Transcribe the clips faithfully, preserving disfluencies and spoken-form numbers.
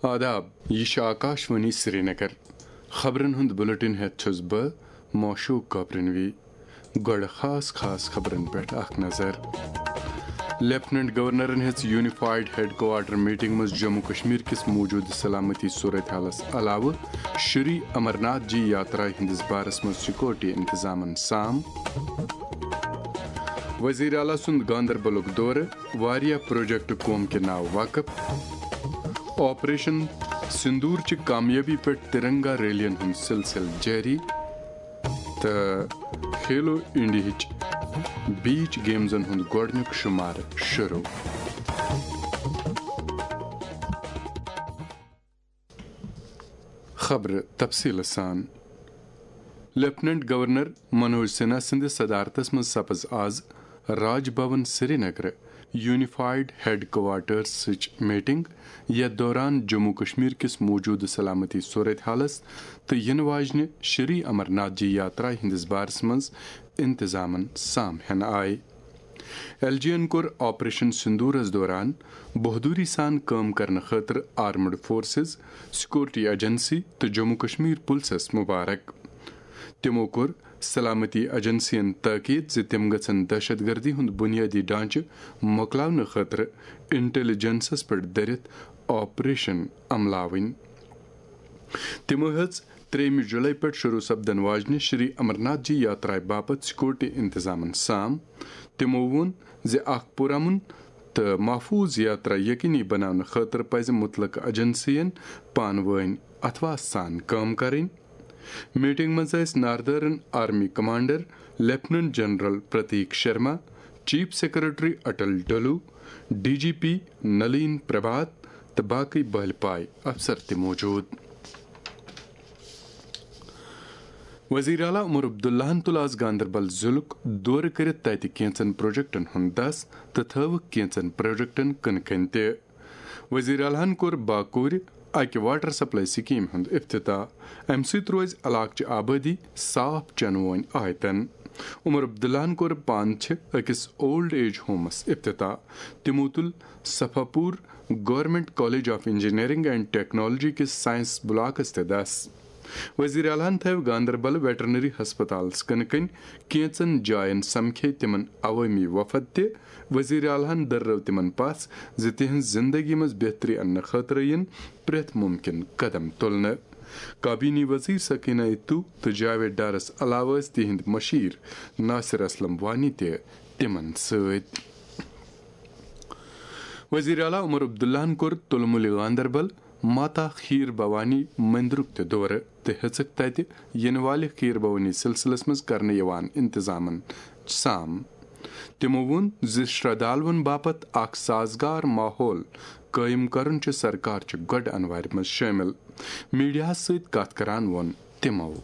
آداب، یہِ چھِ آکاشوانی سرینگر۔ خبرن ہُنٛد بلیٹن ہٮ۪تھ چھُس بہٕ معشوق گوبرنوی۔ گۄڈٕ خاص خاص خبرن پٮ۪ٹھ اکھ نظر۔ لیفٹیننٹ گورنرن ہیٚژ یونیفائیڈ ہیڈ کوارٹر میٹنگ منٛز جموں کشمیر کِس موجودٕ سلامتی صورتحالس علاوٕ شری امرناتھ جی یاترا ہٕنٛدِس بارس منٛز سیکورٹی انتظامن سام۔ وزیر اعلیٰ سُنٛد گاندربلُک دورٕ، واریاہ پروجیکٹ قوم کہِ ناوٕ وقف۔ آپریشن سندور چہِ کامیٲبی پٮ۪ٹھ ترنگا ریلین ہُنٛد سلسلہٕ جٲری۔ تہٕ کھیلو انڈیاہٕچ بیچ گیمزن ہُنٛد گۄڈٕنیُک شُمارٕ شروع۔ خبرٕ تفصیٖلہٕ سان۔ لیفٹیننٹ گورنر منوج سنہا سٕنٛدِس صدارتس منٛز سپٕز آز راج بھون سرینگرٕ یونیفائیڈ ہیڈ کوارٹرسٕچ میٹنگ، یتھ دوران جموں کشمیر کِس موجودٕ سلامتی صورتحالس تہٕ یِنہٕ واجنہِ شری امرناتھ جی یاترا ہٕنٛدِس بارس منٛز انتظامن سام ہٮ۪نہٕ آیہِ۔ ایل جی ین کوٚر آپریشن سندورس دوران بہادری سان کٲم کرنہٕ خٲطرٕ آرمڈ فورسز، سیکورٹی ایجنسی تہٕ جموں کشمیر پُلسس مبارک۔ تِمو کوٚر سلامتی ایجنسین تاکید زِ تِم گژھن دہشت گردی ہُنٛد بنیٲدی ڈھانچہٕ مۄکلاونہٕ خٲطرٕ انٹیلیجنسس پٮ۪ٹھ دٔرِتھ آپریشن عملاوٕنۍ۔ تِمو ہیٚژ ترٛیٚیِمہِ جُلای پٮ۪ٹھ شروع سپدن واجنہِ شری امرناتھ جی یاترایہِ باپتھ سیکورٹی انتظامن سام۔ تِمو ووٚن زِ اکھ پُرامن تہٕ محفوظ یاترا یقینی بناونہٕ خٲطرٕ پزِ مُتلقہٕ ایجنسین پانہٕ وٲنۍ اتھواس سان کٲم کرٕنۍ۔ میٹنگ منٛز ٲسۍ northern army commander lieutenant general Pratik Sharma, chief secretary Atal Dulloo, D G P Nalin Prabhat تہٕ باقٕے بٔلۍ پایہِ افسر تہِ موجود۔ وزیر اعلیٰ عمر عبداللہن تُل آز گاندربل ضلعُک دورٕ کٔرِتھ تَتہِ کینٛژن پروجیکٹن ہُنٛد دَس تہٕ تھٲوٕکھ کینٛژن پروجیکٹن کٕنہٕ کَنہِ تہِ۔ وزیر اعلیٰ ہن کوٚر باکورِ اکہِ واٹر سپلائی سکیٖم ہُنٛد افتتاح۔ اَمہِ سۭتۍ روزِ علاقہٕ چہِ آبٲدی صاف چنہٕ وونۍ آیتن۔ عمر عبداللہن کوٚر پانہٕ چھِ أکِس اولڈ ایج ہومس افتتاح۔ تِمو تُل Safapora government college of engineering and technology کِس سائنس بلاکس تہِ دَس۔ وزیر اعلیٰ ہن تھٲوۍ گاندربل ویٹرنری ہسپتالس کٕنہٕ کَنہِ کینٛژن جاین سمکھے تِمن عوٲمی وفد تہِ۔ وزیر اعلیٰ ہن دٔررٲو تِمن پژھ زِ تِہنٛز زندگی منٛز بہتری اننہٕ خٲطرٕ یِن پرٛٮ۪تھ مُمکِن قدم تُلنہٕ۔ کابینی وزیر سکینہ اتو تہٕ جاوید ڈارس علاوٕ ٲسۍ تِہنٛدۍ مشیر ناصر اسلم وانی تہِ تِمن سۭتۍ۔ وزیر اعلیٰ عمر عبداللہن کوٚر تُلمُلہِ گاندربل ماتا کھیٖر بھوانی مٔنٛدرُک تہِ دورٕ تہٕ ہیٚژٕکھ تَتہِ یِنہٕ والہِ کھیٖر بھوانی سلسلس منٛز کرنہٕ یِوان انتظامن سام۔ تِمو ووٚن زِ شرٛدھالوَن باپتھ اکھ سازگار ماحول قٲیِم کرُن چھُ سرکار چہِ گۄڈٕ انوارِ منٛز شٲمِل۔ میڈیاہَس سۭتۍ کتھ کران ووٚن تِمو۔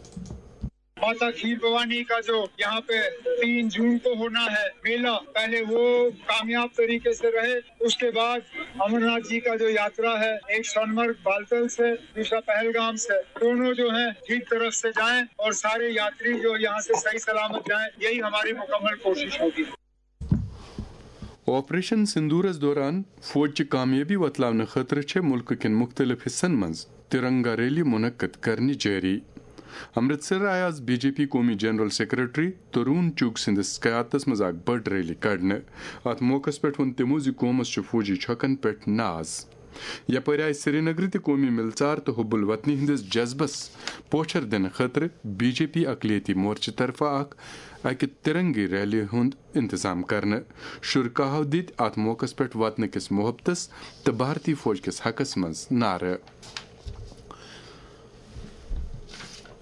माता खीर भवानी का जो यहाँ पे तीन जून को होना है मेला, पहले वो कामयाब तरीके से रहे। उसके बाद अमरनाथ जी का जो यात्रा है, एक सोनमर्ग बालतल से, दूसरा पहलगाम से, दोनों जो हैं ठीक तरफ से जाएं और सारे यात्री जो यहाँ से सही सलामत जाएं, यही हमारी मुकम्मल कोशिश होगी। آپریشن سندورس دوران فوج چہِ کامیٲبی وۄتلاونہٕ خٲطرٕ چھےٚ مُلکہٕ کٮ۪ن مُختٔلِف حصن منٛز ترنگا ریلی منعقد کرنہِ جٲری۔ امرتسر آیہِ آز بی جے پی قومی جنرل سیکرٹری ترون چوگ سٕنٛدِس قیادتس منٛز اکھ بٔڑ ریلی کڑنہٕ۔ اتھ موقعس پٮ۪ٹھ ووٚن تِمو زِ قومس چھُ فوجی چھۄکن پٮ۪ٹھ ناز۔ یپٲرۍ آیہِ سرینگرٕ تہِ قومی مِلژار تہٕ حب الوطنی ہٕنٛدِس جذبس پوچھر دِنہٕ خٲطرٕ بی جے پی اقلیتی مورچہٕ طرفہٕ اکھ اکہِ ترنگی ریلی ہُنٛد انتظام کرنہٕ۔ شرکاہو دِتۍ اتھ موقعس پٮ۪ٹھ وطنہٕ کِس محبتس تہٕ بھارتی فوج کِس حقس منٛز نعرٕ۔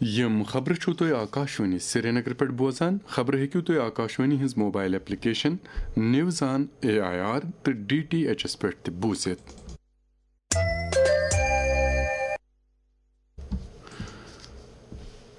یِم خبرٕ چھِو تُہۍ آکاشوانی سرینگرٕ پٮ۪ٹھ بوزان۔ خبرٕ ہیٚکِو تُہۍ آکاشوانی ہٕنٛز mobile application news on A I R تہٕ ڈی ٹی ایچ ایس پٮ۪ٹھ تہِ بوٗزِتھ۔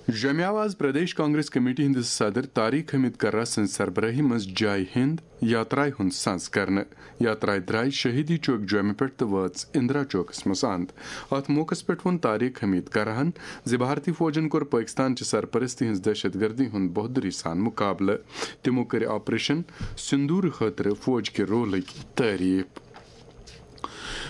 جمعہ آز پردیش کانگریس کمیٹی ہٕنٛدِس صدر طارق حمید کرہ سٕنٛز سربرٲہی منٛز جے ہند یاترایہِ ہُنٛد سنز کرنہٕ۔ یاترایہِ درایہِ شہیدی چوک جومہِ پٮ۪ٹھ تہٕ وٲژ اندرا چوکس منٛز اند۔ اتھ موقعس پٮ۪ٹھ ووٚن طارق حمید کرہن زِ بھارتی فوجن کوٚر پٲکستان چہِ سرپرستی ہٕنٛز دہشت گردی ہُنٛد بہادری سان مقابلہٕ۔ تِمو کٔرۍ آپریشن سندور خٲطرٕ فوج کہِ رولٕکۍ تعریف۔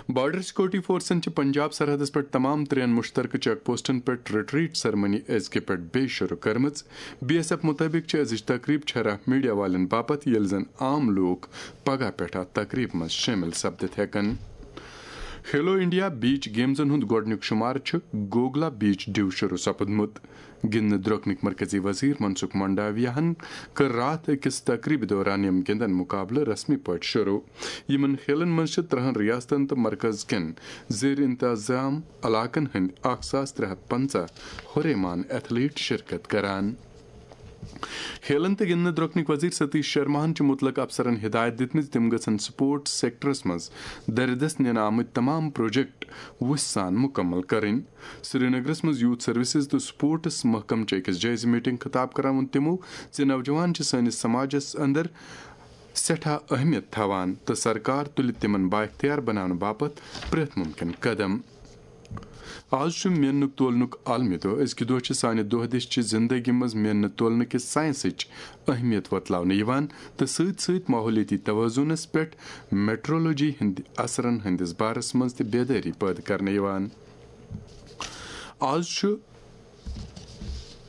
بارڈر سیکورٹی فورسن چھِ پنجاب سرحدس پٮ۪ٹھ تمام ترٛٮ۪ن مشترکہٕ چیک پوسٹن پٮ۪ٹھ ریٹریٹ سرمنی أزکہِ پٮ۪ٹھ بیٚیہِ شروع کٔرمٕژ۔ بی ایس ایف مُطٲبِق چھِ أزِچ تقریب چھرہ میڈیا والٮ۪ن باپتھ، ییٚلہِ زن عام لوٗکھ پگاہ پٮ۪ٹھ اتھ تقریبہِ منٛز شٲمِل سپدِتھ ہٮ۪کن۔ کھیلو انڈیا بیچ گیمزن ہُنٛد گۄڈٕنیُک شُمار چھُ گوگلا بیچ ڈیو شروع سپُدمُت۔ گِنٛدنہٕ درٛوٚکنٕکۍ مرکزی وزیر منسکھ منڈاویاہن کٔر راتھ أکِس تقریبہِ دوران یِم گِنٛدن مُقابلہٕ رسمی پٲٹھۍ شروع۔ یِمن کھیلن منٛز چھِ ترٛہن ریاستن تہٕ مرکز کٮ۪ن زیر انتظام علاقن ہٕنٛدۍ اکھ ساس ترٛےٚ ہتھ پنژاہ ہُریمان ایتھلیٹ شرکت کران۔ کھیلن تہٕ گِنٛدنہٕ درٛوٚکنٕکۍ وزیر ستیش شرماہن چھِ مُتلق افسرن ہدایت دِژمٕژ، تِم گژھن سپورٹس سیکٹرس منٛز دردس نِنہٕ آمٕتۍ تمام پروجیکٹ وُسہِ سان مُکمل کرٕنۍ۔ سرینگرس منٛز یوتھ سروسز تہٕ سپورٹس محکمہٕ چہِ أکِس جٲیزٕ میٹنگ خطاب کران ووٚن تِمو زِ نوجوان چھِ سٲنِس سماجس اندر سٮ۪ٹھاہ اہمیت تھاوان تہٕ سرکار تُلہِ تِمن بااختیار بناونہٕ باپتھ پرٛٮ۪تھ مُمکن قدم۔ آز چھُ میننُک تولنُک عالمی دۄہ۔ أزکہِ دۄہ چھِ سانہِ دۄہ دِش چہِ زندگی منٛز میننہٕ تولنہٕ کِس ساینسٕچ اہمیت وۄتلاونہٕ یِوان تہٕ سۭتۍ سۭتۍ ماحولیٲتی توازنس پٮ۪ٹھ میٹرولوجی ہٕنٛدِ اثرن ہٕنٛدِس بارس منٛز تہِ بیدٲری پٲدٕ کرنہٕ یِوان۔ آز چھُ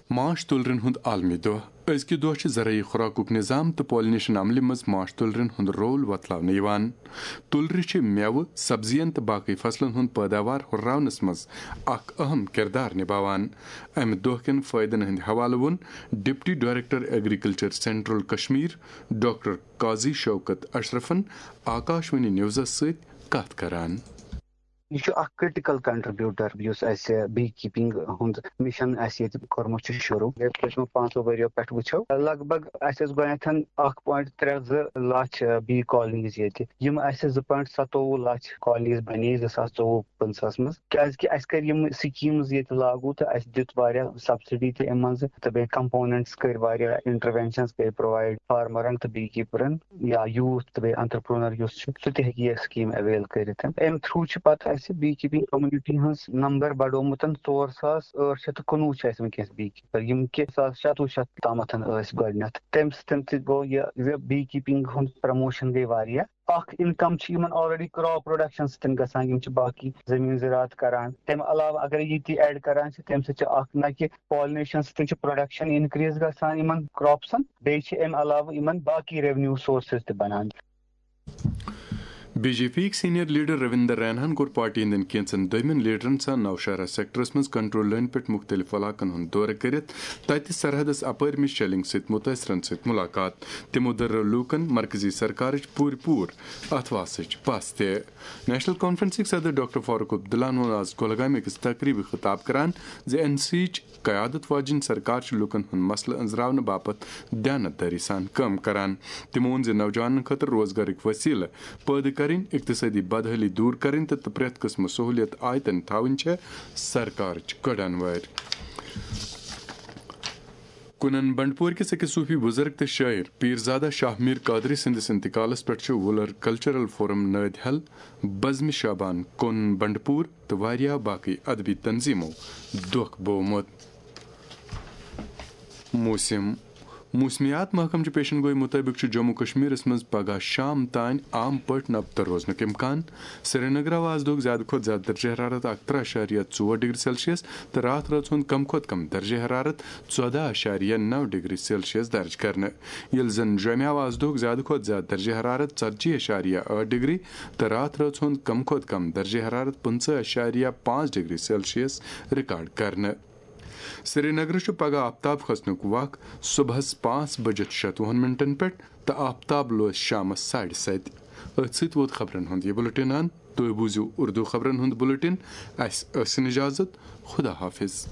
ماچھ تُلرٮ۪ن ہُنٛد عالمی دۄہ۔ أزکہِ دۄہ چھِ زرعی خوراکُک نظام تہٕ پالینیشن عملہِ منٛز ماچھ تُلرٮ۪ن ہُنٛد رول وۄتلاونہٕ یِوان۔ تُلرِ چھِ مٮ۪وٕ، سبزین تہٕ باقٕے فصلن ہُنٛد پٲداوار ہُرراونس منٛز اکھ اہم کردار نباوان۔ امہِ دۄہ کٮ۪ن فٲیدن ہٕنٛدِ حوالہٕ ووٚن deputy director agriculture central Kashmir doctor قاضی شوکت اشرفن آکاشوانی نیوزس سۭتۍ کتھ کران۔ یہِ چھُ اکھ کرٹیکل کنٹریبیوٹر یُس اسہِ بی کیپنگ ہُنٛد مشن اسہِ ییٚتہِ کوٚرمُت چھُ شروٗع۔ ییٚلہِ أسۍ یِمن پانٛژو ؤرۍیو پٮ۪ٹھ وٕچھو، لگ بگ اسہِ ٲس گۄڈٕنٮ۪تھ اکھ پوینٹ ترٛےٚ زٕ لچھ بی کالنیز ییٚتہِ، یِم اسہِ زٕ پوینٹ ستووُہ لچھ کالنیز بنے زٕ ساس ژوٚوُہ پٕنٛژٕہس منٛز، کیازِ کہِ اسہِ کٔرۍ یِم سکیٖمز ییٚتہِ لاگو تہٕ اسہِ دیُت واریاہ سبسڈی تہِ امہِ منٛزٕ تہٕ بیٚیہِ کمپوننٹس کٔرۍ واریاہ، انٹروینشنز کٔرۍ پرووایڈ فارمرن تہٕ بی کیپرن۔ یا یوٗتھ تہٕ بیٚیہِ انٹرپرونر یُس چھُ، سُہ تہِ ہیٚکہِ یہِ سکیٖم اویل کٔرِتھ۔ امہِ تھروٗ چھِ پتہٕ اسہِ بی کیپنگ کمیونٹی ہٕنٛز نمبر بڑومُت، ژور ساس ٲٹھ شیٚتھ تہٕ کُنوُہ چھِ اسہِ وٕنکیٚس بی کیپر، یِم کہِ زٕ ساس شَتوُہ شیٚتھ تامتھ ٲسۍ گۄڈٕنیتھ۔ تمہِ سۭتۍ تہِ گوٚو یہِ زِ بی کیپنگ ہُنٛد پروموشن گٔے واریاہ۔ اکھ انکم چھِ یِمن آلریڈی کراپ پروڈکشن سۭتۍ گژھان، یِم چھِ باقی زٔمیٖن زِراعت کران۔ تمہِ علاوٕ اگر یہِ تہِ ایڈ کران چھِ، تمہِ سۭتۍ چھِ اکھ نہ کہِ پالنیشن سۭتۍ چھِ پروڈکشن انکریز گژھان یِمن کراپسن، بیٚیہِ چھِ امہِ علاوٕ یِمن باقی ریونیو سورسز تہِ بنان۔ بی جے پی یِکۍ سینئر لیڈر رویندر ریناہن کوٚر پارٹی ہٕنٛدٮ۪ن کینژن دوٚیمٮ۪ن لیڈرن سان نوشہرہ سیکٹرس منٛز کنٹرول لٲنہِ پٮ۪ٹھ مُختٔلِف علاقن ہُنٛد دورٕ کٔرِتھ تَتہِ سرحدس اپٲرمہِ شیلنگ سۭتۍ مُتٲثرن سۭتۍ مُلاقات۔ تِمو دٔرٲو لوٗکن مرکزی سرکارٕچ پوٗرٕ پوٗرٕ اتھواسٕچ پژھ تہِ۔ نیشنل کانفرنسٕکۍ صدر ڈاکٹر فاروق عبداللہن ووٚن آز کۄلگامہِ أکِس تقریبہِ خطاب کران زِ این سی یِچ قیادت واجیٚنۍ سرکار چھِ لوٗکن ہُنٛد مسلہٕ أنٛزراونہٕ باپتھ دیانت دٲری سان کٲم کران۔ تِمو ووٚن زِ نوجوانن خٲطرٕ روزگارٕکۍ وسیلہٕ پٲدٕ کرٕنۍ، اقتصٲدی بدحٲلی دوٗر کرٕنۍ تہٕ تہٕ پرٛٮ۪تھ قٕسمہٕ سہوٗلیت آیتن تھاوٕنۍ چھےٚ سرکارٕچ کڑن وٲرۍ۔ کُنن بنڈپور کِس أکِس صوٗفی بُزرگ تہٕ شٲعر پیٖرزادہ شاہ میٖر قادری سٕنٛدِس انتقالس پٮ۪ٹھ چھُ وُلر کلچرل فورم نٲدۍ ہل، بزمِ شابان کُن بنڈپور تہٕ واریاہ باقٕے ادبی تنظیمو دۄکھ بوومُت۔ موسم۔ موسمیات محکمہٕ چہِ پیشن گوئی مُطٲبِق چھُ جموں کشمیرس منٛز پگہہ شام تام عام پٲٹھۍ نبتہٕ روزنُک امکان۔ سرینگر آو آز دۄہُک زیادٕ کھۄتہٕ زیادٕ درجہ حرارت اکہٕ ترٕہ اعشاریہ ژور ڈگری سیلسیس تہٕ راتھ رٲژ ہُنٛد کم کھۄتہٕ کم درجہ حرارت ژۄدہ اعشاریہ نو ڈگری سیلسیس درج کرنہٕ، ییٚلہِ زن جوٚمہِ آو آز دۄہُک زیادٕ کھۄتہٕ زیادٕ درجہ حرارت ژتجی اعشاریہ ٲٹھ ڈگری تہٕ راتھ رٲژ ہُنٛد کم کھۄتہٕ کم درجہ حرارت پٕنٛژٕہ اعشاریہ پانٛژھ ڈگری سیلسیس ریکارڈ کرنہٕ۔ سرینگرٕ چھُ پگہہ آفتاب کھسنُک وق صبحس پانٛژھ بجِتھ شتوُہن منٹن پٮ۪ٹھ تہٕ آفتاب لوس شامس ساڑِ ستہِ۔ أتھۍ سۭتۍ ووت خبرن ہُنٛد یہِ بُلٹن اند۔ تُہۍ بوٗزِو اردو خبرن ہُنٛد بُلٹن۔ اسہِ ٲسِن اجازت۔ خدا حافظ۔